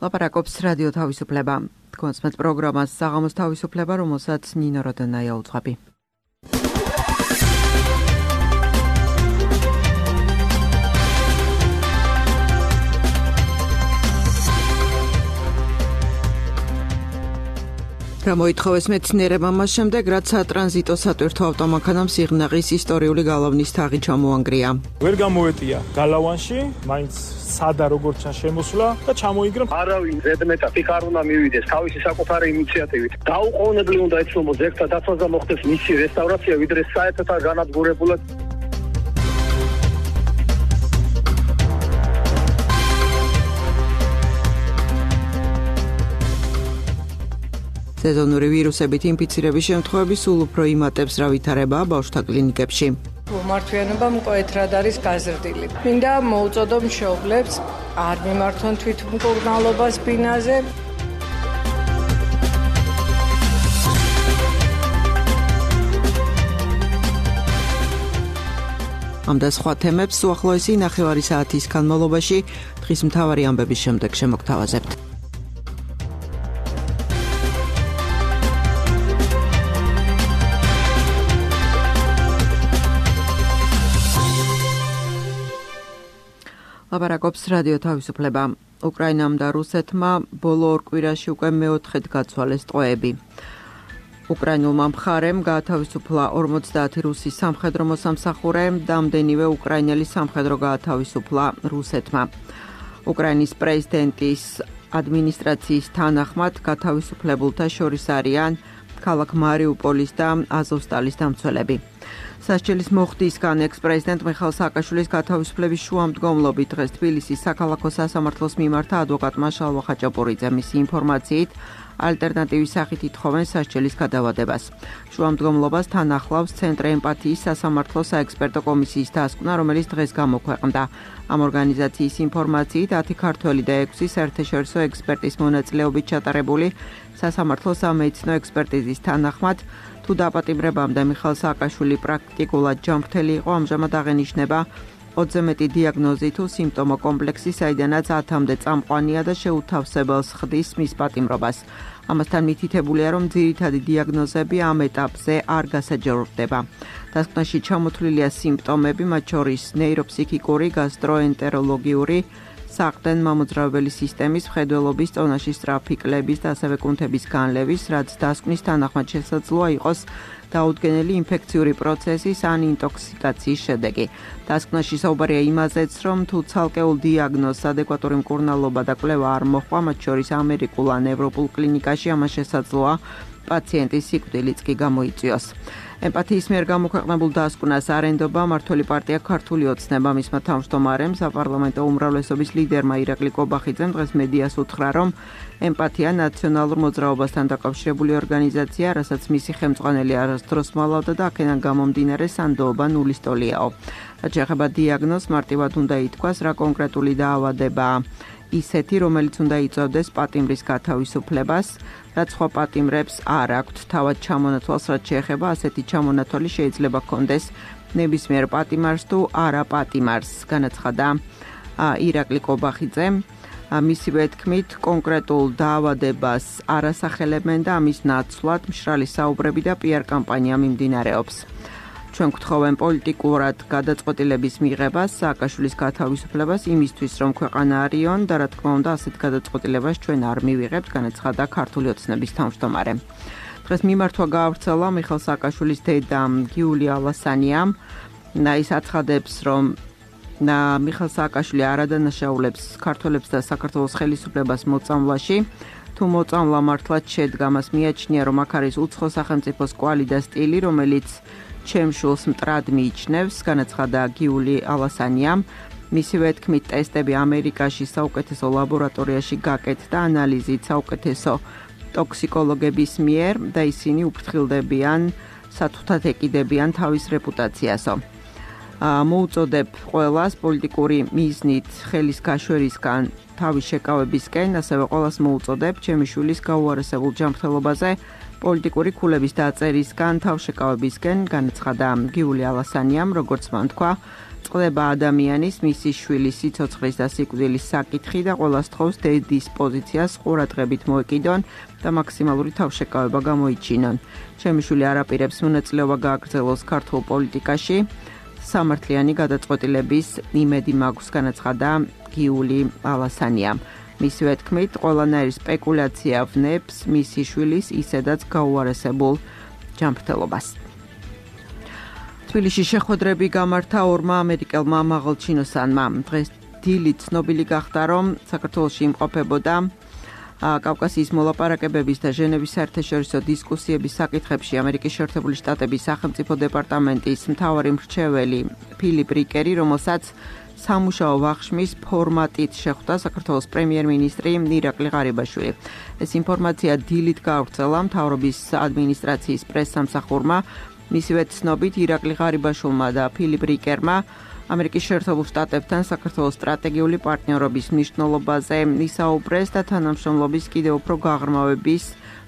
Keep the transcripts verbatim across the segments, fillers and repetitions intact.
ლაპარაკობს რადიო თავისუფლება. კონსმეთ პროგრამას საღამოს თავისუფლება, რომელსაც ნინო როდანაია უძღვები. რა მოითხოვეს მეცნიერებმა მას შემდეგ, რაც სატრანზიტო სატვირთო ავტომანქანამ სიღნაღის ისტორიული გალავნის თაღი ჩამოანგრია. ვერ გამოეტია გალავანში, მაინც სადა როგორც შემოსვლა და ჩამოიგრა. არავინ ზედმეტად იქ არ უნდა მივიდეს თავისი საკუთარი ინიციატივით. დაუყოვნებლივ უნდა ეცნობოს ზეგთა დაცვას და მოხდეს მისი რესტავრაცია, ვიდრე საერთოდ არ განადგურებულად. სეზონური ვირუსებით ინფიცირების შემთხვევები სულ უფრო იმატებს, რა ვითარებაა ბავშვთა კლინიკებში. მართვიანობა მკვეთრად არის გაზრდილი. მინდა მოუწოდო მშობლებს არ მიმართონ თვითმკურნალობას ბინაზე. ამ და სხვა თემებს უახლოესი ნახევარი საათის განმავლობაში დღის მთავარი ამბების შემდეგ შემოგთავაზებთ. ლაპარაკობს რადიო თავისუფლება. უკრაინამ და რუსეთმა ბოლო ორ კვირაში უკვე მეოთხედ გაცვალეს ტყვეები. უკრაინულმა მხარემ გაათავისუფლა ორმოცდაათი რუსის სამხედრო მოსამსახურე, რამდენივე უკრაინელი სამხედრო გაათავისუფლა რუსეთმა. უკრაინის პრეზიდენტის ადმინისტრაციის თანახმად გათავისუფლებულთა შორის არიან ქალაქ მარიუპოლის და აზოვსტალის დამცველები. სასჯელის მოხდისგან ექს-პრეზიდენტ მიხაილ სააკაშვილის გათავისუფლების შუამდგომლობით დღეს თბილისის საქალაქო სასამართლოს მიმართა ადვოკატმა შალვა ხაჭაპურიძე. მისი ინფორმაციით ალტერნატივის სახით ითხოვენ სასჯელის გადავადებას. შუამდგომლობას თან ახლავს ცენტრ ემპათიის სასამართლო საექსპერტო კომისიის დასკვნა, რომელიც დღეს გამოქვეყნდა. ამ ორგანიზაციის ინფორმაციით ათი ქართველი და ექვსი საერთაშორისო ექსპერტის მონაწილეობით ჩატარებული სასამართლო სამედიცინო ექსპერტიზის თანახმად თუ დაპატიმრებამდე მიხაილ სააკაშვილი პრაქტიკულად ჯანმრთელი იყო, ამჟამად აღენიშნება ოცზე მეტი დიაგნოზი თუ სიმპტომო კომპლექსი, საიდანაც ათამდე წამყვანია და შეუთავსებელს ხდის მის პატიმრობას. ამასთან მითითებულია, რომ ძირითადი დიაგნოზები ამ ეტაპზე არ გასაჯაროვდება. დასკვნაში ჩამოთვლილია სიმპტომები, მათ შორის ნეიროფსიქიკური, გასტროენტეროლოგიური, საყრდენ მამოძრავებელი სისტემის, მხედველობის, წონაში სწრაფი კლების და ასევე კუნთების განლევის, რაც დასკვნის თანახმად შესაძლოა იყოს დაუდგენელი ინფექციური პროცესის ან ინტოქსიკაციის შედეგი. დასკვნაში საუბარია იმაზეც, რომ თუ ცალკეულ დიაგნოზს ადეკვატური მკურნალობა და კვლევა არ მოჰყვა, მათ შორის ამერიკულ ან ევროპულ კლინიკაში, ამას შესაძლოა პაციენტის სიკვდილიც კი გამოიწვიოს. ემპათიის მიერ გამოქვეყნებულ დასკვნას არ ენდობა მმართველი პარტია ქართული ოცნება. მისმა თავმჯდომარემ, საპარლამენტო უმრავლესობის ლიდერმა ირაკლი კობახიძემ დღეს მედიას უთხრა, რომ ემპათია ნაციონალურ მოძრაობასთან დაკავშირებული ორგანიზაცია, რასაც მისი ხელმძღვანელი არასდროს მალავდა და აქედან გამომდინარე სანდოობა ნულის ტოლიაო. რაც შეეხება დიაგნოზს, მარტივად უნდა ითქვას, რა კონკრეტული დაავადებაა ისეთი, რომელიც უნდა იწვევდეს პატიმრის გათავისუფლებას, რაც სხვა პატიმრებს არ აქვთ. თავად ჩამონათვალს, რაც შეეხება, ასეთი ჩამონათვალი შეიძლება ჰქონდეს ნებისმიერ პატიმარს თუ არა პატიმარს, განაცხადა ირაკლი კობახიძემ. მისივე თქმით, კონკრეტულ დაავადებას არ ასახელებენ და ამის ნაცვლად მშრალი საუბრები და პიარ კამპანია მიმდინარეობს. ჩვენ გვთხოვენ პოლიტიკურად გადაწყვეტილების მიღებას, სააკაშვილის გათავისუფლებას იმისთვის, რომ ქვეყანა არიონ და რა თქმა უნდა ასეთ გადაწყვეტილებას ჩვენ არ მივიღებთ, განაცხადა ქართული ოცნების თავმჯდომარე. დღეს მიმართვა გაავრცელა მიხაილ სააკაშვილის დედამ გიული ალასანიამ. ის აცხადებს, რომ მიხაილ სააკაშვილი არ ადანაშაულებს ქართველებს და საქართველოს ხელისუფლებას მოწამვლაში. თუ მოწამვლა მართლაც შედგა, მას მიაჩნია, რომ აქ არის უცხო სახელმწიფოს კვალი და სტილი, რომელიც ჩემ შულს მტრად მიიჩნევს, განაცხადა გიული ალასანიამ. მისივე თქმით, ტესტები ამერიკაში საუკეთესო ლაბორატორიაში გაკეთდა, ანალიზით საუკეთესო ტოქსიკოლოგების მიერ და ისინი უფრთხილდებიან, სათუთად ეკიდებიან თავის რეპუტაციასო. მოუწოდებ ყველას პოლიტიკური მიზნით ხელის გაშვერისგან თავის შეკავებისკენ, ასევე ყველას მოუწოდებ ჩემი შვილის გაუარესებულ ჯანმრთელობაზე პოლიტიკური ქულების დაწერისგან, თავშეკავებისგან განაცხადა გიული ალასანიამ, როგორც მან თქვა, წყდება ადამიანის, მისი შვილის სიცოცხლის და სიკვდილის საკითხი და ყველა სთხოვს დედის პოზიციას ყურადღებით მოეკიდონ და მაქსიმალური თავშეკავება გამოიჩინონ. ჩემი შვილი არ აპირებს მონაწილეობა გააგრძელოს ქართულ პოლიტიკაში. სამართლიანი გადაწყვეტილების იმედი მაქვს, განაცხადა გიული ალასანიამ. მისივე თქმით, ყველანაირი სპეკულაცია ვნებს მისი შვილის ისედაც გაუარესებულ ჯანმრთელობას. თბილისში შეხვედრები გამართა ორმა ამერიკელმა მაღალჩინოსანმა. დღეს დილით ცნობილი გახდა, რომ საქართველოში იმყოფებოდა კავკასიის მოლაპარაკებების და ჟენევის საერთაშორისო დისკუსიების საკითხებში ამერიკის შეერთებული შტატების სახელმწიფო დეპარტამენტის მთავარი მრჩეველი ფილიპ რიკერი, რომელსაც სამუშაო ვახშმის ფორმატით შეხვდა საქართველოს პრემიერ-მინისტრი ირაკლი ღარიბაშვილი. ეს ინფორმაცია დილით გაავრცელა მთავრობის ადმინისტრაციის პრესსამსახურმა. მისივე ცნობით, ირაკლი ღარიბაშვილმა და ფილიპ რიკერმა ამერიკის შეერთებულ შტატებთან საქართველოს სტრატეგიული პარტნიორობის მნიშვნელობაზე ისაუბრეს და თანამშრომლობის კიდევ უფრო გაღრმავების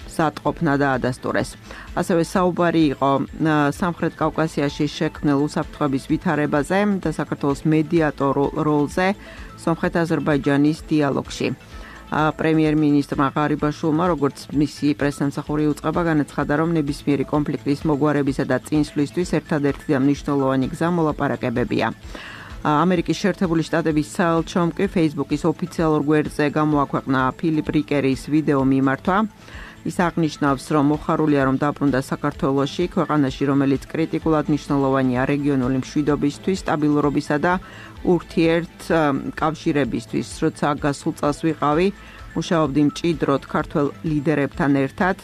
მზადყოფნა დაადასტურეს. ასევე საუბარი იყო სამხრეთ კავკასიაში შექმნილ უსაფრთხოების ვითარებაზე და საქართველოს მედიატორ როლზე სომხეთ-აზერბაიჯანის დიალოგში. პრემიერ-მინისტრმა ღარიბაშვილმა, როგორც მისი პრესსამსახური უწყება, განაცხადა, რომ ნებისმიერი კონფლიქტის მოგვარებისა და წინსვლისთვის ერთადერთი და მნიშვნელოვანი გზა მოლაპარაკებებია. ამერიკის შეერთებული შტატების საელჩომ კი Facebook-ის ოფიციალურ გვერდზე გამოაქვეყნა ფილიპ რიკერის ვიდეო მიმართვა. ის აღნიშნავს, რომ მოხარულია, რომ დაბრუნდა საქართველოში, ქვეყანაში, რომელიც კრიტიკულად მნიშვნელოვანია რეგიონული მშვიდობისთვის, სტაბილურობისა და ურთიერთ კავშირებისთვის. როცა გასულ წელს ვიყავი, მუშაობდი მჭიდროდ ქართველ ლიდერებთან ერთად.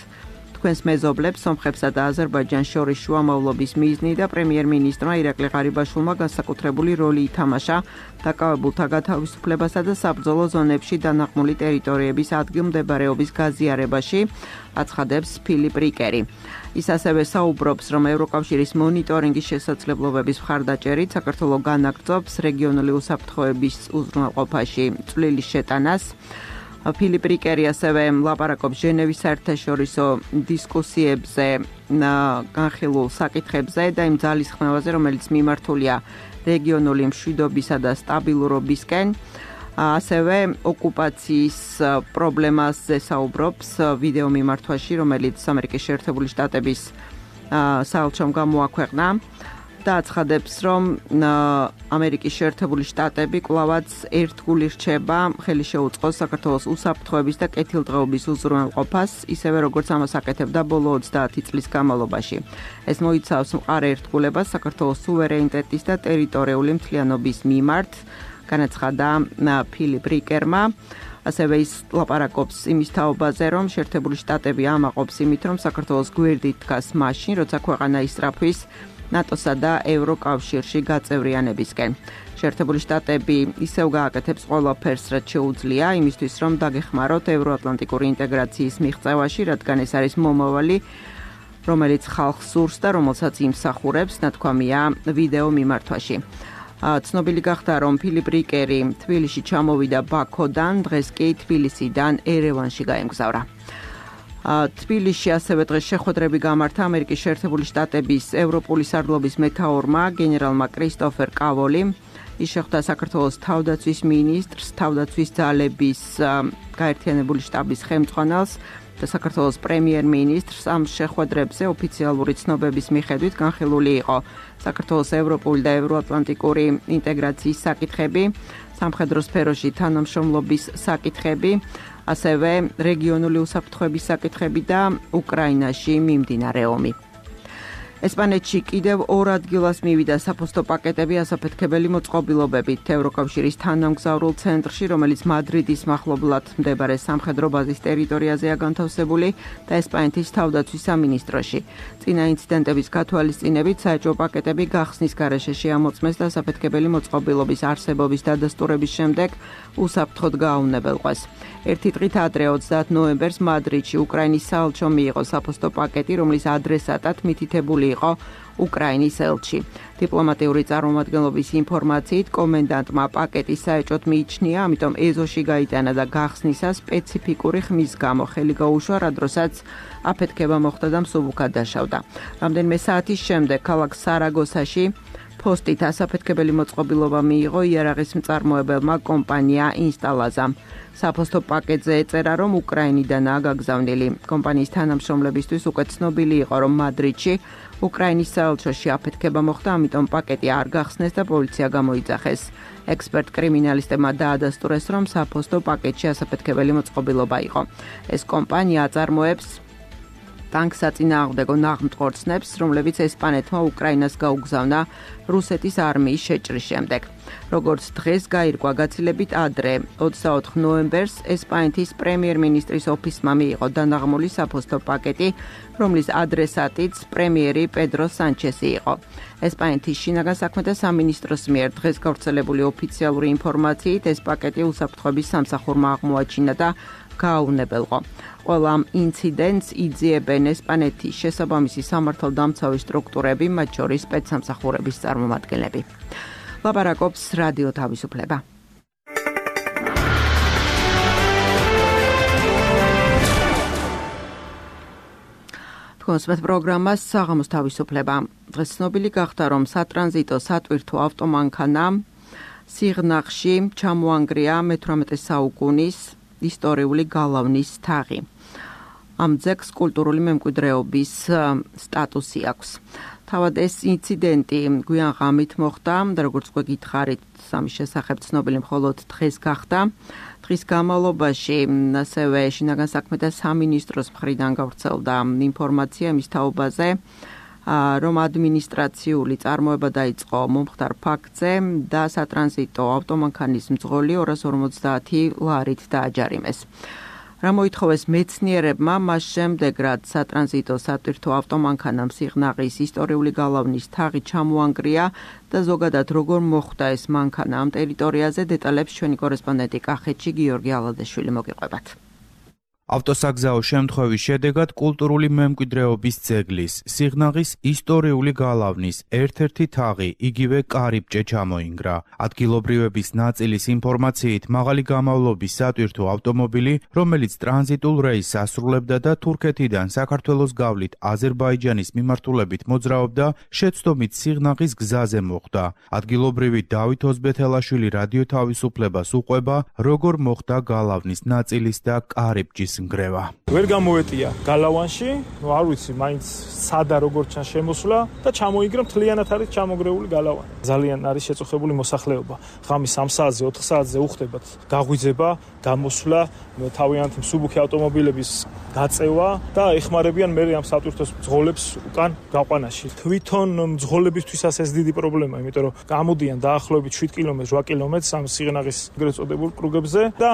თქვენს მეზობლებს, სომხებსა და აზერბაიჯანს შორის შუამავლობის მიზნი და პრემიერ-მინისტრმა ირაკლი ღარიბაშვილმა განსაკუთრებული როლი ითამაშა დაკავებულთა გათავისუფლებასა და საბრძოლო ზონებში დანაღმული ტერიტორიების ადგილმდებარეობის გაზიარებაში, აცხადებს ფილიპ რიკერი. ის ასევე საუბრობს, რომ ევროკავშირის მონიტორინგის შესაძლებლობების მხარდაჭერით საქართველო განაგრძობს რეგიონული უსაფრთხოების უზრუნველყოფაში წვლილი შეტანას. ფილიპ რიკერი ასევე ლაპარაკობს ჟენევის საერთაშორისო დისკუსიებზე, განხილულ საკითხებზე და იმ ძალისხმევაზე, რომელიც მიმართულია რეგიონული მშვიდობისა და სტაბილურობისკენ. ასევე ოკუპაციის პრობლემაზე საუბრობს ვიდეო მიმართვაში, რომელიც ამერიკის შეერთებული შტატების საელჩომ გამოაქვეყნა. და აცხადებს, რომ ამერიკის შეერთებული შტატები კვლავაც ერთგული რჩება ხელი შეუწყოს საქართველოს უსაფრთხოების და კეთილდღეობის უზრუნველყოფას, ისევე როგორც ამას აკეთებდა ბოლო ოცდაათი წლის განმავლობაში. ეს მოიცავს მყარ ერთგულებას საქართველოს სუვერენიტეტის და ტერიტორიული მთლიანობის მიმართ, განაცხადა ფილიპ რიკერმა. ასევე ის ლაპარაკობს იმის თაობაზე, რომ შეერთებული შტატები ამაყობს იმით, რომ საქართველოს გვერდით დგას მაშინ, როცა ქვეყანა ისწრაფვის ნატოსა და ევროკავშირში გაწევრიანებისკენ. შეერთებული შტატები ისევ გააკეთებს ყველაფერს, რაც შეუძლია, იმისთვის, რომ დაგეხმაროთ ევროატლანტიკური ინტეგრაციის მიღწევაში, რადგან ეს არის მომავალი, რომელიც ხალხს სურს და რომელსაც იმსახურებს, ნათქვამია ვიდეო მიმართვაში. ცნობილი გახდა, რომ ფილიპ რიკერი თბილისში ჩამოვიდა ბაქოდან, დღეს კი თბილისიდან ერევანში გაემგზავრა. თბილისში ასევე დღეს შეხვედრები გამართა ამერიკის შეერთებული შტატების ევროპული სარდლობის მეთაურმა გენერალმა კრისტოფერ კავოლიმ. ის შეხვდა საქართველოს თავდაცვის მინისტრს, თავდაცვის ძალების გაერთიანებული შტაბის ხელმძღვანელს და საქართველოს პრემიერ-მინისტრს. ამ შეხვედრებზე ოფიციალური ცნობების მიხედვით განხილული იყო საქართველოს ევროპული და ევროატლანტიკური ინტეგრაციის საკითხები, სამხედრო სფეროში თანამშრომლობის საკითხები, ასევე რეგიონული უსაფრთხოების საკითხები და უკრაინაში მიმდინარე ომი. ესპანეთში კიდევ ორ ადგილას მივიდა საფოსტო პაკეტები ასაფეთქებელი მოწყობილობებით ევროკავშირის თანამგზავრულ ცენტრში, რომელიც მადრიდის მახლობლად მდებარე სამხედრო ბაზის ტერიტორიაზეა განთავსებული და ესპანეთის თავდაცვის სამინისტროში. წინა ინციდენტების გათვალისწინებით საეჭვო პაკეტები გახსნის გარეშე შეამოწმეს და ასაფეთქებელი მოწყობილობის არსებობის დადასტურების შემდეგ უსაფრთხოდ გააუნებელყვეს. ერთი დღით ადრე ოცდაათ ნოემბერს მადრიდში უკრაინის საელჩომ მიიღო საფოსტო პაკეტი, რომლის ადრესატად მითითებული იყო უკრაინის ელჩი. დიპლომატიური წარმომადგენლობის ინფორმაციით, კომენდანტმა პაკეტი საეჭვოდ მიიჩნია, ამიტომ ეზოში გაიტანა და გახსნისას სპეციფიკური ხმის გამო ხელი გაუშვა, რა დროსაც აფეთქება მოხდა და მსუბუქად დაშავდა. რამდენიმე საათის შემდეგ ქალაქ სარაგოსაში ფოსტით ასაფეთქებელი მოწყობილობა მიიღო იარაღის მწარმოებელმა კომპანია ინსტალაზამ. საფოსტო პაკეტზე ეწერა, რომ უკრაინიდანაა გაგზავნილი. კომპანიის თანამშრომლებისთვის უკვე ცნობილი იყო, რომ მადრიდში უკრაინის საელჩოში აფეთქება მოხდა, ამიტომ პაკეტი არ გახსნეს და პოლიცია გამოიძახეს. ექსპერტ კრიმინალისტებმა დაადასტურეს, რომ საფოსტო პაკეტში ასაფეთქებელი მოწყობილობა იყო. ეს კომპანია აწარმოებს ტანკსაწინააღმდეგო ნაღმწყორცნებს, რომლებიც ესპანეთმა უკრაინას გაუგზავნა რუსეთის არმიის შეჭრის შემდეგ. როგორც დღეს გაირკვა გაცილებით ადრე, ოცდაოთხ ნოემბერს ესპანეთის პრემიერ-მინისტრის ოფისმა მიიღო დანაღმული საფოსტო პაკეტი, რომლის ადრესატიც პრემიერი პედრო სანჩესი იყო. ესპანეთის შინაგან საქმეთა სამინისტროს მიერ დღეს გავრცელებული ოფიციალური ინფორმაციით, ეს პაკეტი უსაფრთხოების სამსახურმა აღმოაჩინა და გააუნებელყო. ყველა ამ ინციდენტს იძიებენ ესპანეთის შესაბამისი სამართალდამცავი სტრუქტურები, მათ შორის სპეცსამსახურების წარმომადგენლები. ლაპარაკობს რადიო თავისუფლება. თქვენს პროგრამას საღამოს თავისუფლება. დღეს ცნობილი გახდა, რომ სატრანზიტო სატვირთო ავტომანქანა სიღნაღში ჩამოანგრია მეთვრამეტე საუკუნის ისტორიული გალავნის თაღი. ამ ძეგლს კულტურული მემკვიდრეობის სტატუსი აქვს. თავად ეს ინციდენტი გვიან ღამით მოხდა და როგორც უკვე გითხარით, ამის შესახებ ცნობილი მხოლოდ დღეს გახდა. დღის განმავლობაში ასევე შინაგან საქმეთა სამინისტროს მხრიდან გავრცელდა ინფორმაცია მის თაობაზე, რომ ადმინისტრაციული წარმოება დაიწყო მომხდარ ფაქტზე და სატრანზიტო ავტომანქანის მძღოლი ორას ორმოცდაათი ლარით დააჯარიმეს. რა მოითხოვეს მეცნიერებმა მას შემდეგ, რაც სატრანზიტო სატვირთო ავტომანქანამ სიღნაღის ისტორიული გალავნის თაღი ჩამოანგრია და ზოგადად როგორ მოხდა ეს მანქანა ამ ტერიტორიაზე, დეტალებს ჩვენი კორესპონდენტი კახეთში გიორგი ალადეშვილი მოგიყვებათ. ავტოსაგზაო შემთხვევის შედეგად კულტურული მემკვიდრეობის ძეგლის, სიღნაღის ისტორიული გალავნის ერთ-ერთი თაღი, იგივე კარიბჭე ჩამოინგრა. ადგილობრივების ნაწილის ინფორმაციით, მაღალი გამავლობის სატვირთო ავტომობილი, რომელიც ტრანზიტულ რეისს ასრულებდა და თურქეთიდან საქართველოს გავლით აზერბაიჯანის მიმართულებით მოძრაობდა, შეცდომით სიღნაღის გზაზე მოხვდა. ადგილობრივი დავით ოზბეთელაშვილი რადიო თავისუფლებას უყვება, როგორ მოხდა გალავნის ნაწილის და კარიბჭის ნგრევა. ვერ გამოვეტია გალავანში, ნუ არ ვიცი, მაინც სადა როგორ ჩან შემოსვლა და ჩამოიგრა მთლიანად არის ჩამოგრეული გალავანი. ძალიან არის შეწუხებული მოსახლეობა. ღამის სამ საათზე, ოთხ საათზე უხდებათ გაღვიძება, გამოსვლა, თავიანთი მსუბუქი ავტომობილების გაწევა და ეხმარებიან მე ამ სატვირთოს მძღოლებს უკან გაყვანაში. თვითონ მძღოლებისთვისაც ეს დიდი პრობლემაა, იმიტომ რომ გამოდიან დაახლოებით შვიდ კილომეტრს, რვა კილომეტრს ამ სიღნაღის ეგრეთ წოდებულ კრუგებზე და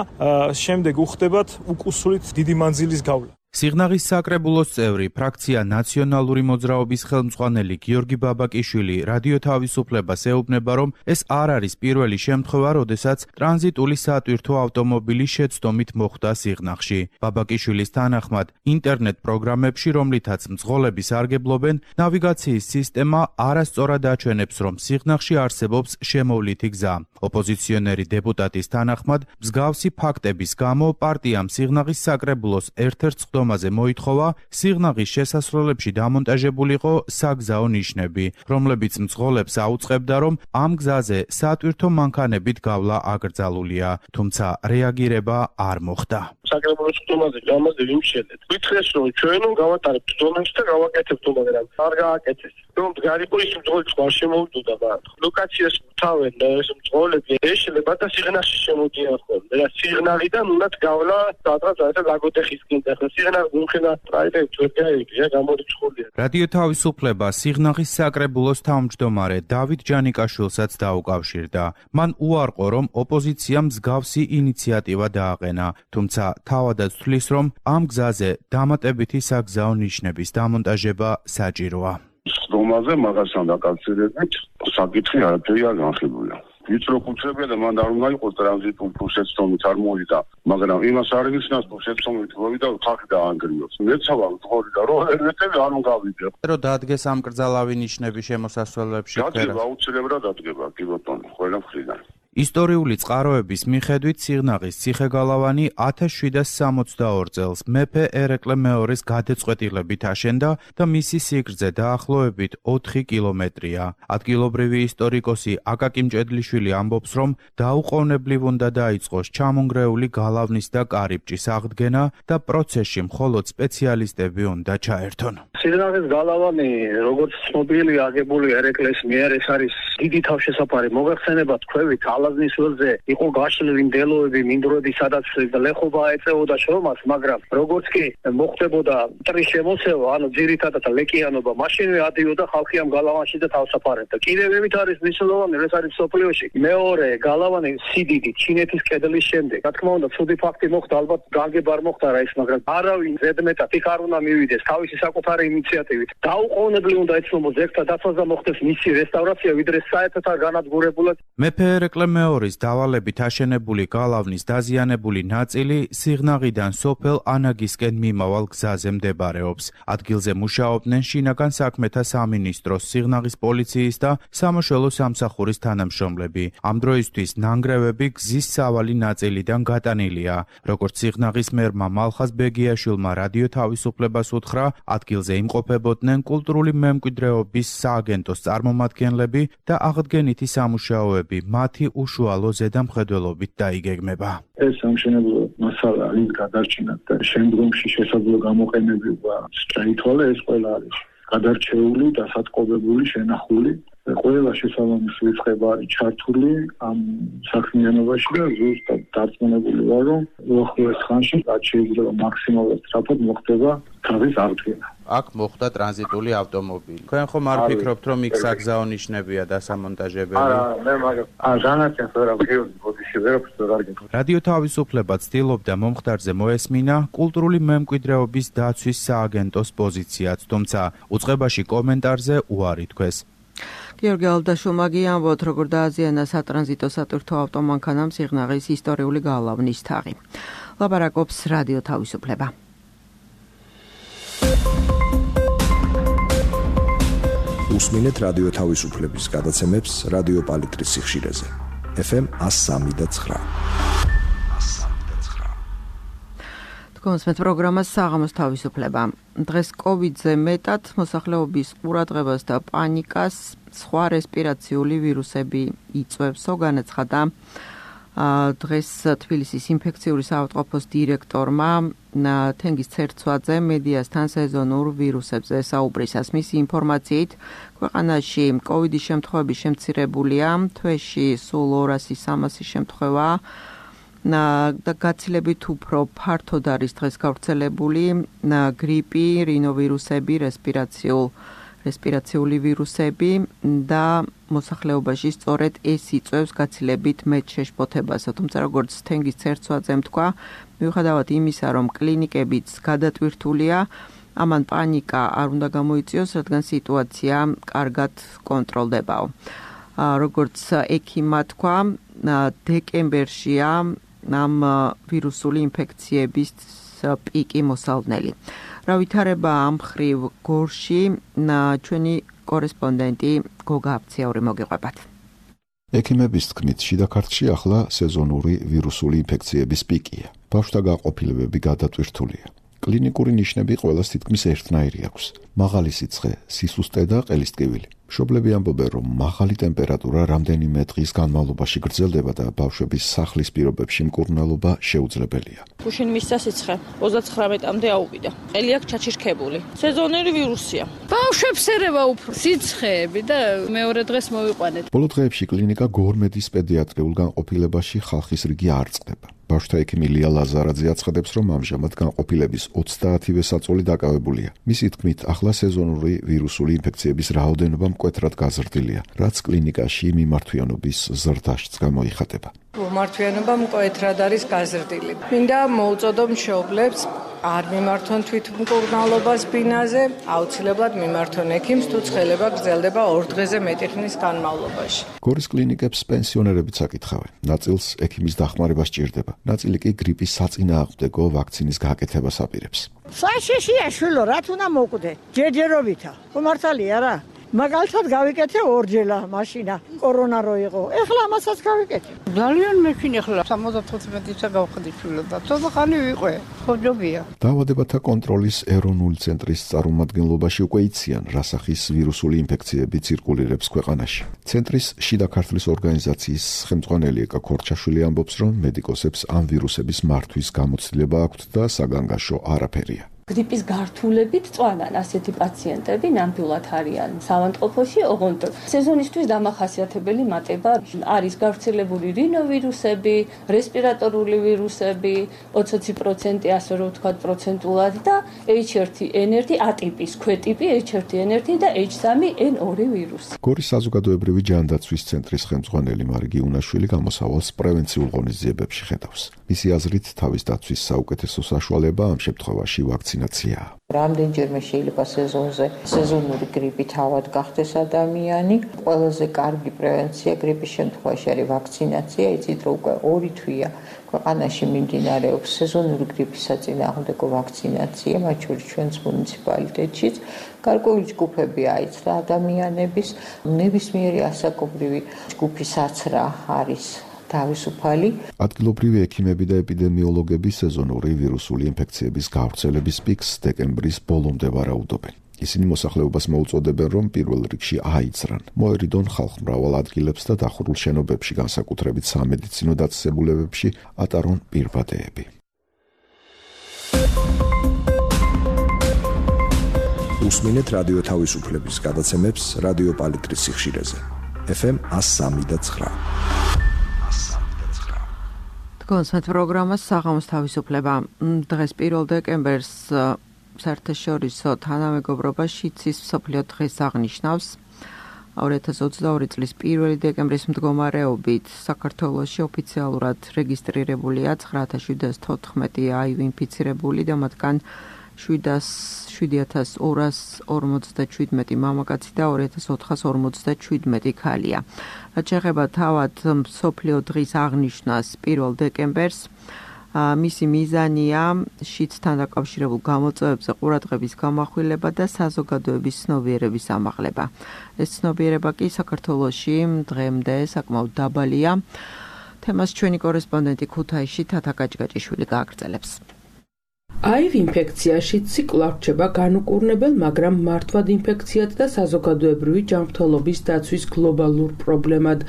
შემდეგ უხდებათ უკუსურით დიდი მანძილის გავლა. სიღნაღის საკრებულოს წევრი, ფრაქცია ნაციონალური მოძრაობის ხელმძღვანელი გიორგი ბაბაკიშვილი რადიო თავისუფლებას ეუბნება, რომ ეს არ არის პირველი შემთხვევა, როდესაც ტრანზიტული სატვირთო ავტომობილი შეცდომით მოხვდა სიღნაღში. ბაბაკიშვილის თანახმად, ინტერნეტ პროგრამებში, რომლითაც მძღოლები სარგებლობენ, ნავიგაციის სისტემა არასწორად აჩვენებს, რომ სიღნაღში არსებობს შემოვლითი გზა. ოპოზიციონერი დეპუტატის თანახმად, მსგავსი ფაქტების გამო პარტიამ სიღნაღის საკრებულოს ერთ-ერთ სხდომაზე მოითხოვა სიღნაღის შესასვლელებში დამონტაჟებულიყო საგზაო ნიშნები, რომლებიც მძღოლებს აუწყებდა, რომ ამ გზაზე სატვირთო მანქანებით გავლა აკრძალულია, თუმცა რეაგირება არ მოხდა. საკრებულოს სხდომაზე გამაზე ვიმშელეთ. ვითხრეს, რომ ჩვენ გავატარებთ ზონაში და გავაკეთებთ, მაგრამ არ გააკეთეს. რომ გარიყო ის მძღოლი არ შემოვიდოდა მათ. ლოკაციას თავენ და ეს მძღოლები ეშლება და სიღნაღში შემოდიან ხოლმე. და სიღნაღიდან უნდათ გავლა სადღაც ლაგოდეხისკენ და სიღნაღი უმხელა პრაივეტ ვერ გაიგია გამორიცხულია. რადიო თავისუფლება სიღნაღის საკრებულოს თავმჯდომარე დავით ჯანიკაშვილსაც დაუკავშირდა. მან უარყო, რომ ოპოზიციამ მსგავსი ინიციატივა დააყენა, თუმცა თავადაც თვლის, რომ ამ გზაზე დამატებითი საგზაო ნიშნების დამონტაჟება საჭიროა. სხდომაზე მაგასთან დაკავშირებით საკითხი არაფერი არ განხილულია. ვიწრო კუთხეებია და მან არ უნდა იყოს ტრანზიტულ პროცესით არ მოვიდა, მაგრამ იმას არ იგრძნოს პროცესით მოვიდა ხალხი დაანგრიოს. მეცავა თქორი და რო ერთები არ უნდა გავიდე. რომ დაადგეს ამ კრძალავი ნიშნები შემოსასვლელებში ქერა. დაადგება აუცილებლად დაადგება კი ბატონო, ყველა მხრიდან. ისტორიული წყაროების მიხედვით სიღნაღის ციხე-გალავანი ათას შვიდას სამოცდაორ წელს მეფე ერეკლე მეორის გადაწყვეტილებით აშენდა და მისი სიგრძე დაახლოებით ოთხი კილომეტრია. ადგილობრივი ისტორიკოსი აკაკი მჭედლიშვილი ამბობს, რომ დაუყოვნებლივ უნდა დაიწყოს ჩამონგრეული გალავნის და კარიბჭის აღდგენა და პროცესში მხოლოდ სპეციალისტები უნდა ჩაერთონ. სიღნაღის გალავანი, როგორც ცნობილი აგებული ერეკლეს მიერ, ეს არის დიდი თავშესაფარი მოგეხსენებათ ქვევით ალაზნის ველზე იყო გაშლილი მდელოები, მინდვრები, სადაც ლეხობა ეწეოდა შრომას, მაგრამ როგორც კი მოხდებოდა მტრის შემოსევა, ანუ ძირითადად ლეკიანობა, მაშინვე ადიოდა ხალხი ამ გალავანში და თავსაფარებდა. კიდევ იმით არის მნიშვნელოვანი, ეს არის სოფლიოში მეორე გალავანი სიდიდით ჩინეთის კედლის შემდეგ. რა თქმა უნდა, ცუდი ფაქტი მოხდა, ალბათ განგება არ მოხდა რა ის, მაგრამ არავინ ზედმეტად იქ არ უნდა მივიდეს თავისი საკუთარი ინიციატივით. დაუყოვნებლივ უნდა ეცნობოს ზეგთა დაცვას და მოხდეს მისი რესტავრაცია, ვიდრე საერთოდ არ განადგურებულად. მეფე ერეკლე მეორის დავალებით აშენებული გალავნის დაზიანებული ნაწილი სიღნაღიდან სოფელ ანაგისკენ მიმავალ გზაზე მდებარეობს. ადგილზე მუშაობდნენ შინაგან საქმეთა სამინისტროს, სიღნაღის პოლიციის და სამოშველო სამსახურის თანამშრომლები. ამ დროისთვის ნანგრევები გზის სავალი ნაწილიდან გატანილია. როგორც სიღნაღის მერმა მალხაზ ბეგიაშვილმა რადიო თავისუფლებას უთხრა, ადგილზე იმყოფებოდნენ კულტურული მემკვიდრეობის სააგენტოს წარმომადგენლები და აღდგენითი სამუშაოები მათი უშუალო ზედამხედველობით დაიგეგმება. ეს სამშენებლო მასალა ის გადარჩენად და შემდგომში შესაძლო გამოყენება შეითვალა, ეს ყველა არის გადარჩეული, დასატყობებული, შენახული. ყველა შესაბამისი რიცხება არის ჩართული ამ საქმიანობაში და ზუსტად დარწმუნებული ვარ, რომ უახლოეს ხანში რაც შეიძლება მაქსიმალურად სწრაფად მოხდება თავის აღდგენა. აქ მოხდა ტრანზიტული ავტომობილი. თქვენ ხომ არ ფიქრობთ, რომ იქ საგზაო ნიშნებია დასამონტაჟებელი? არა, მე მაგას არ განაცხადე, რა ვიღებდი ბოდიში ვერაფერს არ გეკითხა. რადიო თავისუფლება ცდილობდა მომხდარზე მოესმინა კულტურული მემკვიდრეობის დაცვის სააგენტოს პოზიციაც, თუმცა უწყებაში კომენტარზე უარი თქვეს. გიორგი ალდაშვილმა ამბობთ, როგორ დააზიანა სატრანზიტო სატვირთო ავტომანქანამ სიღნაღის ისტორიული გალავნის თაღი. ლაპარაკობს რადიო თავისუფლება. უსმინეთ რადიო თავისუფლების გადაცემებს რადიო პალიტრის სიხშირეზე. ეფ ემ εκατო სამი და ცხრა. თქვენს პროგრამას საღამოს თავისუფლება. დღეს კოვიდზე მეტად მოსახლეობის ყურადღებას და პანიკას სხვა რესპირაციული ვირუსები იწვევსო, განაცხადა დღეს თბილისის ინფექციური საავადმყოფოს დირექტორმა თენგიზ ცერცვაძე მედიასთან სეზონურ ვირუსებზე საუბრისას. მისი ინფორმაციით, ქვეყანაში კოვიდის შემთხვევები შემცირებულია, თვეში სულ ორასი სამასი შემთხვევა და გაცილებით უფრო ფართოდ არის დღეს გავრცელებული გრიპი, რინოვირუსები, რესპირაციულ რესპირაციული ვირუსები და მოსახლეობაში სწორედ ეს იწვევს გაცილებით მეტ შეშფოთებასა. თუმცა როგორც თენგიზ ცერცვაძემ თქვა, მიუხედავად იმისა, რომ კლინიკებიც გადატვირთულია, ამან პანიკა არ უნდა გამოიწვიოს, რადგან სიტუაცია კარგად კონტროლდებაო. როგორც ექიმმა თქვა, დეკემბერშია ამ ვირუსული ინფექციების პიკი მოსალნელი. რა ვითარება ამ ხრივ გორში, ჩვენი კორესპონდენტი გოგა აფციაური მოგიყვებათ. ექიმების თქმით, შიდა ქართლში ახლა სეზონური ვირუსული ინფექციების პიკია. ბავშვთა გაყოფილებები გადატვირთულია. კლინიკური ნიშნები ყველას თითქმის ერთნაირი აქვს. მაღალი სიცხე, სისუსტე და ყელისტკივილი. მშობლები ამბობენ, რომ მაღალი ტემპერატურა რამდენიმე დღის განმავლობაში გრძელდება და ბავშვების სახლის პირობებში მკურნალობა შეუძლებელია. გუშინ მისცა სიცხე ოცდათხრამეტამდე აუვიდა. ყელი აქვს ჩაჩირქებული. სეზონური ვირუსია. ბავშვებს ერევა უფრო სიცხეები და მეორე დღეს მოვიყვანეთ. ბოლო დღეებში კლინიკა გორმედის პედიატრიულ განყოფილებაში ხალხის რიგი არ წყდება. ბავშვთა ექიმი ლია ლაზარაძე აცხადებს, რომ ამჟამად განყოფილების ოცდაათივე საწოლი დაკავებულია. მისი თქმით, ახლა სეზონური ვირუსული ინფექციების რაოდენობა მკვეთრად გაზრდილია, რაც კლინიკაში მიმართვიანობის ზრდაშიც გამოიხატება. გამართვიანობა მკვეთრად არის გაზრდილი. მინდა მოუწოდო მშობლებს არ მიმართონ თვითმკურნალობას ბინაზე, აუცილებლად მიმართონ ექიმს, თუ ცხელება გრძელდება ორ დღეზე მეტი ხნის განმავლობაში. გორის კლინიკებს პენსიონერებიც აკითხავენ. ნაწილს ექიმის დახმარება სჭირდება, ნაწილი კი გრიპის საწინააღმდეგო ვაქცინის გაკეთებას აპირებს. საშიშია შვილო, რა თუნდა მოკვდე? ჯერჯერობითა. მართალია რა? მაგალითად გავიკეთე ორჯელა მაშინა კორონა რო იყო. ეხლა ამასაც გავიკეთე. ძალიან მეჩვინ ეხლა სამოცდათოთხმეტისა გავხდი შვილო და ცოტა ხანი ვიყო. ხოჯობია. დაავადებათა კონტროლის ეროვნული ცენტრის წარმომადგენლობაში უკვე იციან, რა სახის ვირუსული ინფექციები ცირკულირებს ქვეყანაში. ცენტრის შიდა ქართლის ორგანიზაციის ხელმძღვანელი ეკა ქორჩაშვილი ამბობს, რომ მედიკოსებს ამ ვირუსების მართვის გამოცდილება აქვთ და საგანგაშო არაფერია. გრიპის გართულებით წვანან ასეთი პაციენტები ნამდვილად არიან საავადმყოფოში, ოღონდ სეზონისთვის დამახასიათებელი მატება არის გავრცელებული რინოვირუსები, რესპირატორული ვირუსები, ოცდაოთხ პროცენტი ასე რომ ვთქვათ პროცენტულად და ეიჩ ერთ ენ ერთ ატიპის ქვეტიპი ეიჩ ერთ ენ ერთ და ეიჩ სამი ენ ორი ვირუსი. გორის საზოგადოებრივი ჯანდაცვის ცენტრის ხელმძღვანელი მარგი უნაშვილი გამოსავალს პრევენციულ ღონისძიებებში ხედავს. მისი აზრით, თავის დაცვის საუკეთესო საშუალება ამ შემთხვევაში ვაქცინაცია. რამდენჯერმე შეიძლება სეზონზე სეზონური გრიპით ავად გახდეს ადამიანი. ყველაზე კარგი პრევენცია გრიპის შემთხვევაში არის ვაქცინაცია. იცით რომ უკვე ორი თვეა ქვეყანაში მიმდინარეობს სეზონური გრიპის საწინააღმდეგო ვაქცინაცია, მათ შორის ჩვენს მუნიციპალიტეტშიც. გარკვეული ჯგუფები აიცრა ადამიანების, ნებისმიერი ასაკობრივი ჯგუფისაცრა არის თავისუფალი. ადგილობრივი ექიმები და ეპიდემიოლოგები სეზონური ვირუსული ინფექციების გავრცელების პიკს დეკემბრის ბოლომდე ვარაუდობენ. ისინი მოსახლეობას მოუწოდებენ, რომ პირველ რიგში აიცრან, მოერიდონ ხალხმრავალ ადგილებს და დახურულ შენობებში, განსაკუთრებით სამედიცინო დაწესებულებებში, ატარონ პირბადეები. უსმინეთ რადიო თავისუფლების გადაცემებს რადიო პალიტრის სიხშირეზე. ეფ ემ ას სამი და ცხრა. კონსერტ პროგრამას საღამოს თავისუფლება. დღეს პირველ დეკემბერს საერთაშორისო თანამეგობრობა შიცის მსოფლიო დღეს აღნიშნავს. ორი ათას ოცდაორი წლის პირველი დეკემბრის მდგომარეობით საქართველოში ოფიციალურად რეგისტრირებულია ცხრა ათას შვიდას თოთხმეტი აივ ინფიცირებული და მათგან შვიდ ათას ორას ორმოცდაშვიდმეტი მამაკაცი და ორი ათას ოთხას ორმოცდაშვიდმეტი ქალია. რაც შეეხება თავად მსოფლიო დღის აღნიშვნას პირველ დეკემბერს, მისი მიზანია შიდსთან დაკავშირებულ გამოწვევებზე ყურადღების გამახვილება და საზოგადოების ცნობიერების ამაღლება. ეს ცნობიერება კი საქართველოში დღემდე საკმაოდ დაბალია. თემას ჩვენი კორესპონდენტი ქუთაისში თათა გაჭგაჭიშვილი გააგრძელებს. აივ ინფექცია შიდსი კვლავ რჩება განუკურნებელ, მაგრამ მართვად ინფექციად და საზოგადოებრივი ჯანმრთელობის დაცვის გლობალურ პრობლემად,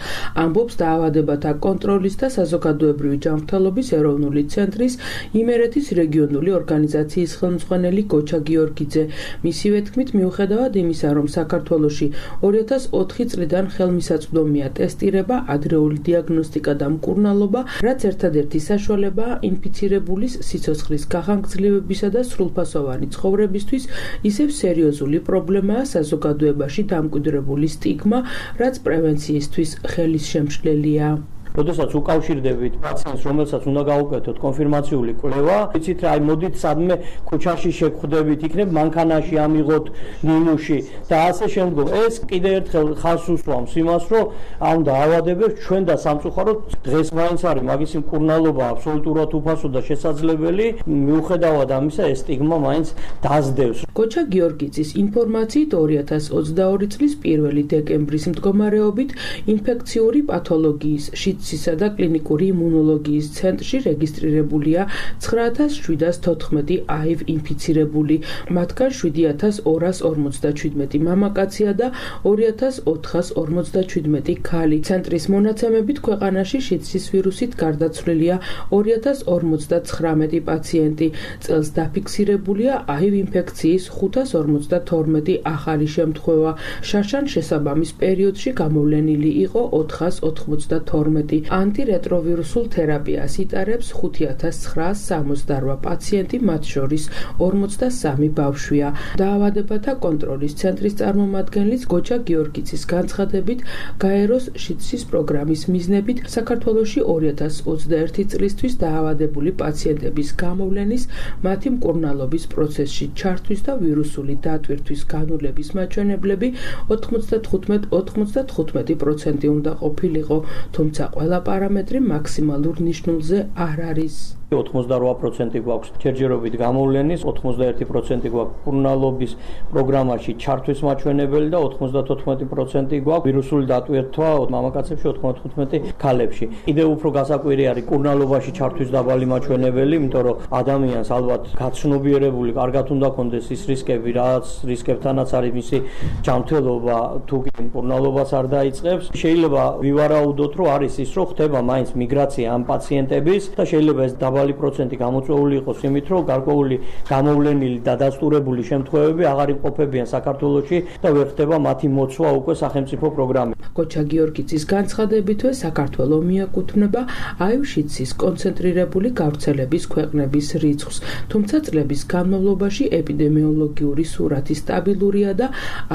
ამბობს დაავადებათა კონტროლის და საზოგადოებრივი ჯანმრთელობის ეროვნული ცენტრის იმერეთის რეგიონული ორგანიზაციის ხელმძღვანელი გოჩა გიორგიძე. მისივე თქმით, მიუხედავად იმისა, რომ საქართველოში ორი ათას ოთხი წლიდან ხელმისაწვდომია ტესტირება, ადრეული დიაგნოსტიკა და მკურნალობა, რაც ერთადერთი საშუალებაა ინფიცირებულის სიცოცხლის გახანგრძლივებისა და სრულფასოვანი ცხოვრებისთვის, ისევ სერიოზული პრობლემაა საზოგადოებაში დამკვიდრებული სტიგმა, რაც პრევენციისთვის ხელის შემშლელია. როდესაც უკავშირდებით პაციენტს, რომელსაც უნდა გაუკეთოთ კონფირმაციული კვლევა, იცით რა, აი მოდით სადმე ქუჩაში შეგხვდებით, იქნებ მანქანაში ამიღოთ ნიმუში და ასე შემდგომ. ეს კიდევ ერთხელ ხაზს უსვამს იმას, რომ ამ დაავადებებს ჩვენ და სამწუხაროდ დღეს მაინც არის მაგისი მკურნალობა აბსოლუტურად უფასო და შესაძლებელი, მიუხედავად ამისა ეს სტიგმა მაინც დაზდევს. გოჩა გიორგიძის ინფორმაციით ორი ათას ოცდაორი წლის პირველი დეკემბრის მდგომარეობით ინფექციური პათოლოგიის შიდსისა და კლინიკური იმუნოლოგიის ცენტრში რეგისტრირებულია ცხრა ათას შვიდას თოთხმეტი აივ ინფიცირებული, მათგან შვიდ ათას ორას ორმოცდაშვიდმეტი მამაკაცია და ორი ათას ოთხას ორმოცდაშვიდმეტი ქალი. ცენტრის მონაცემებით ქვეყანაში შიდსის ვირუსით გარდაცვლილია ორი ათას ორმოცდაცხრამეტი პაციენტი. წელს დაფიქსირებულია აივ ინფექციის ხუთას ორმოცდათორმეტი ახალი შემთხვევა. შარშან შესაბამის პერიოდში გამოვლენილი იყო ოთხას ოთხმოცდათორმეტი პაციენტი. ანტირეტროვირუსულ თერაპიას იტარებს ხუთი ათას ცხრაას სამოცდაორ პაციენტი, მათ შორის ორმოცდასამი ბავშვია. დაავადებათა კონტროლის ცენტრის წარმომადგენლის გოჩა გიორგიცის განცხადებით, გაეროს შიდსის პროგრამის მიზნებით საქართველოში ორი ათას ოცდაერთი წლისთვის დაავადებული პაციენტების გამოვლენის, მათი მკურნალობის პროცესში ჩართვის და ვირუსული დატვირთვის განულების მაჩვენებლები ოთხმოცდათხუთმეტ ოცდათხუთმეტი პროცენტი უნდა ყოფილიყო, თუმცა ყველა პარამეტრი მაქსიმალურ ნიშნულზე არ არის. ოცდაორ პროცენტი გვაქვს ჯერჯერობით გამოვლენის, ოცდაერთი პროცენტი გვაქვს მკურნალობის პროგრამაში ჩართვის მაჩვენებელი და ოცდათოთხმეტი პროცენტი გვაქვს ვირუსული დატვირთვა მამაკაცებში, ოცდათხუთმეტი ქალებში. კიდევ უფრო გასაკვირი არის მკურნალობაში ჩართვის დაბალი მაჩვენებელი, იმიტომ რომ ადამიანს ალბათ გაცნობიერებული კარგად უნდა ქონდეს ის რისკები, რაც რისკებთანაც არის მისი ჯანმრთელობა, თუ კი მკურნალობას არ დაიწყებს. შეიძლება ვივარაუდოთ, რომ არის ის, რომ ხდება მაინც მიგრაცია ამ პაციენტების და შეიძლება ეს დაბალი პროცენტი გამოწვეული იყოს იმით, რომ გარკვეული გამოვლენილი და დასტურებული შემთხვევები აღარ იმყოფებიან საქართველოში და ვერ ხდება მათი მოცვა უკვე სახელმწიფო პროგრამით. გოჩა გიორგიცის განცხადებითვე საქართველო მიაკუთვნება აივ-შიდსის კონცენტრირებული გავრცელების ქვეყნების რიცხვს, თუმცა წლების განმავლობაში ეპიდემიოლოგიური სურათი სტაბილურია და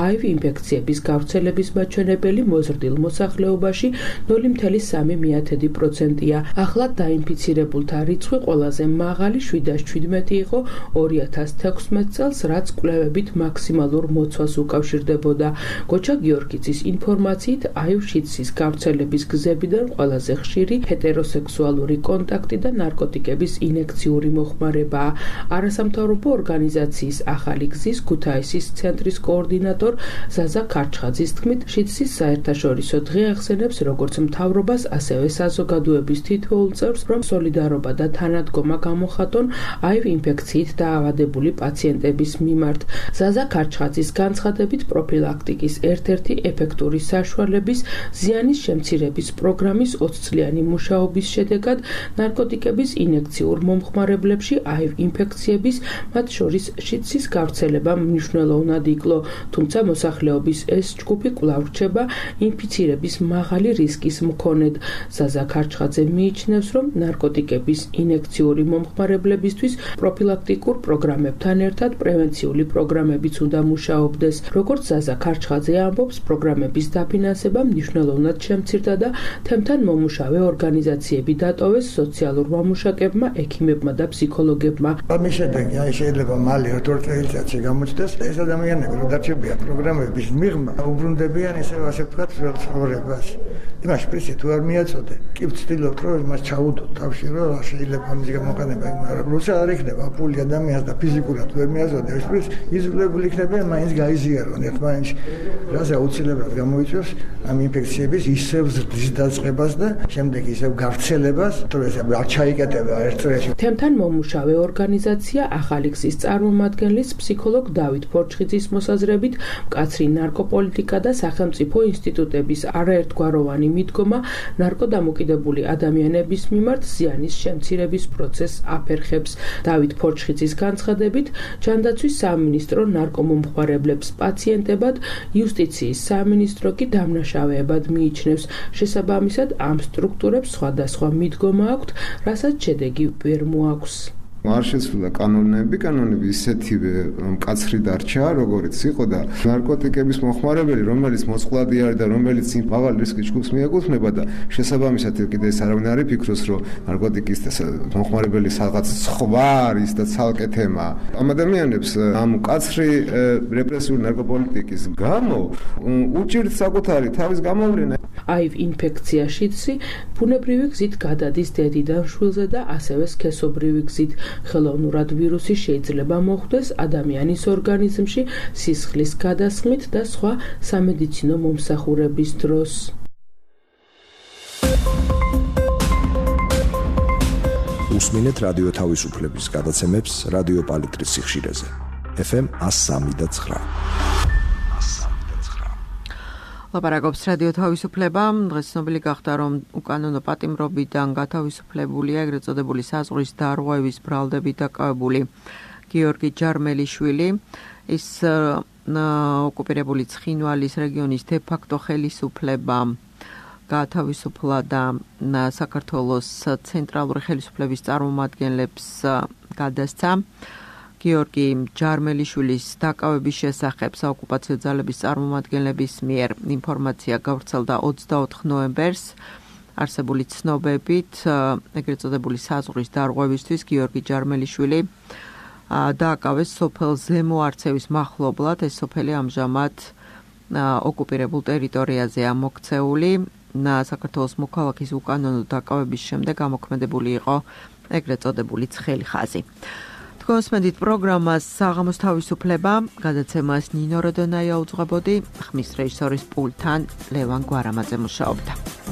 აივ ინფექციების გავრცელების მაჩვენებელი მოზრდილ მოსახლეობაში ნული მცდე სამი პროცენტია. ახლა დაინფიცირებულთა რიცხვი ყველაზე მაღალი შვიდას ჩვიდმეტი იყო ორი ათას თექვსმეტ წელს, რაც კვლევებით მაქსიმალურ მოცვას უკავშირდებოდა. გოჩა გიორგიცის ინფორმაციით, აივ-შიდსის გავრცელების გზებიდან ყველაზე ხშირი ჰეტეროსექსუალური კონტაქტი და ნარკოტიკების ინექციური მოხმარებაა. არასამთავრობო ორგანიზაციის ახალი გზის ქუთაისის ცენტრის კოორდინატორ ზაზა ქარჩხაძის თქმით, შიდსის საერთაშორისო დღე ახსენებს როგორც მთავრობას, ასევე საზოგადოების თითოეულ წევრს, რომ სოლიდარობა და თანადგომა გამოხატონ აივ ინფექციით დაავადებული პაციენტების მიმართ. ზაზა ქარჩხაძის განცხადებით, პროფილაქტიკის ერთ-ერთი ეფექტური საშუალების ზიანის შემცირების პროგრამის ოცწლიანი მუშაობის შედეგად ნარკოტიკების ინექციურ მომხმარებლებში აივ ინფექციების, მათ შორის შიდსის გავრცელება მნიშვნელოვნად იკლო, თუმცა მოსახლეობის ეს ჯგუფი კვლავ რჩება ინფიცირების მაღალი რისკის მქონედ. ზაზა ქარჩხაძე მიიჩნევს, რომ ნარკოტიკების ინექციური მომხმარებლებისთვის პროფილაქტიკურ პროგრამებთან ერთად პრევენციული პროგრამებიც უნდა მუშაობდეს. როგორც ზაზა ქარჩხაძე ამბობს, პროგრამების დაფინანსება მნიშვნელოვნად შემცირდა და თემთან მომუშავე ორგანიზაციები დატოვეს სოციალურ მამუშაკებმა, ექიმებმა და ფსიქოლოგებმა. ამის შედეგი აი შეიძლება მალე ორ წელიწადში გამოჩნდეს. ეს ადამიანები რომ დარჩებიან პროგრამების მიღმა, უბრუნდებიან ესე ასე ვთქვათ ცხოვრებას. იმაში პრინციპი თუ არ მიაწოდე, კი ვცდილობ რომ იმას ჩაუდო თავში რომ შეიძლება ამის გამოყენება, მაგრამ როცა არ იქნება პული ადამიანს და ფიზიკურად ვერ მიაწოდე, ეს იზოლებული იქნებიან, მაინც გაიზიარონ ერთმანეთში. რაზე აუცილებლად გამოიწვევს ამ ინფექციების ისევ ზრდის დაწყებას და შემდეგ ისევ გავრცელებას, თუ ეს არ ჩაიკეტება ერთ წრეში. თემთან მომუშავე ორგანიზაცია ახალი გზის წარმომადგენლის ფსიქოლოგ დავით ფორჩხიძის მოსაზრებით, მკაცრი ნარკოპოლიტიკა და სახელმწიფო ინსტიტუტების არაერთგვაროვანი მიდგომა ნარკოდამოკიდებული ადამიანების მიმართ ზიანის შემცირების პროცესს აფერხებს. დავით ფორჩხიძის განცხადებით, ჯანდაცვის სამინისტრო ნარკომომხმარებლებს პაციენტებად, იუსტიციის სამინისტრო კი დამნაშავეებად მიიჩნევს. შესაბამისად, ამ სტრუქტურებს სხვადასხვა მიდგომა აქვთ, რასაც შედეგი ვერ მოაქვს. არ შეცვლა კანონები, კანონები ისეთივე მკაცრი დარჩა, როგორიც იყო და ნარკოტიკების მომხმარებელი, რომელიც მოწყვლადი არის და რომელიც იმ მაღალ რისკის ჯგუფს მიეკუთვნება და შესაბამისად კიდე ეს არავინ არ იფიქროს, რომ ნარკოტიკის მომხმარებელი რაღაც სხვა არის და ცალკე თემა. ამ ადამიანებს ამ მკაცრი რეპრესიული ნარკოპოლიტიკის გამო უჭირთ საკუთარი თავის გამოვლენა. აივ ინფექცია შიდსი ბუნებრივი გზით გადადის დედიდან შვილზე და ასევე სქესობრივი გზით. ხელოვნურად ვირუსი შეიძლება მოხვდეს ადამიანის ორგანიზმში სისხლის გადასხმით და სხვა სამედიცინო მომსახურების დროს. უსმინეთ რადიო თავისუფლების გადაცემებს რადიო პალიტრის სიხშირეზე. ეფ ემ one oh three point nine. ლაპარაკობს რადიო თავისუფლება. დღეს ცნობილი გახდა, რომ უკანონო პატიმრობიდან გათავისუფლებულია ეგრეთ წოდებული საზღვრის დარღვევის ბრალდებით დაკავებული გიორგი ჯარმელიშვილი. ის ოკუპირებული ცხინვალის რეგიონის დე-ფაქტო ხელისუფლება გაათავისუფლა და საქართველოს ცენტრალური ხელისუფლების წარმომადგენლებს გადასცა. გიორგი ჯარმელიშვილის დაკავების შესახებ საოკუპაციო ძალების წარმომადგენლების მიერ ინფორმაცია გავრცელდა ოცდაოთხ ნოემბერს. არსებული ცნობებით, ეგრეთ წოდებული საზღვრის დარღვევისთვის გიორგი ჯარმელიშვილი დააკავეს სოფელ ზემო არცევის მახლობლად. ეს სოფელი ამჟამად ოკუპირებულ ტერიტორიაზეა მოქცეული. საქართველოს მოქალაქის უკანონო დაკავების შემდეგ ამოქმედებული იყო ეგრეთ წოდებული ცხელი ხაზი. თქვენსმენდით პროგრამას საღამოს თავისუფლება, გადაცემას ნინო როდონაია უძღვებოდი, ხმის რეჟისორის პულტთან ლევან გვარამაძე მუშაობდა.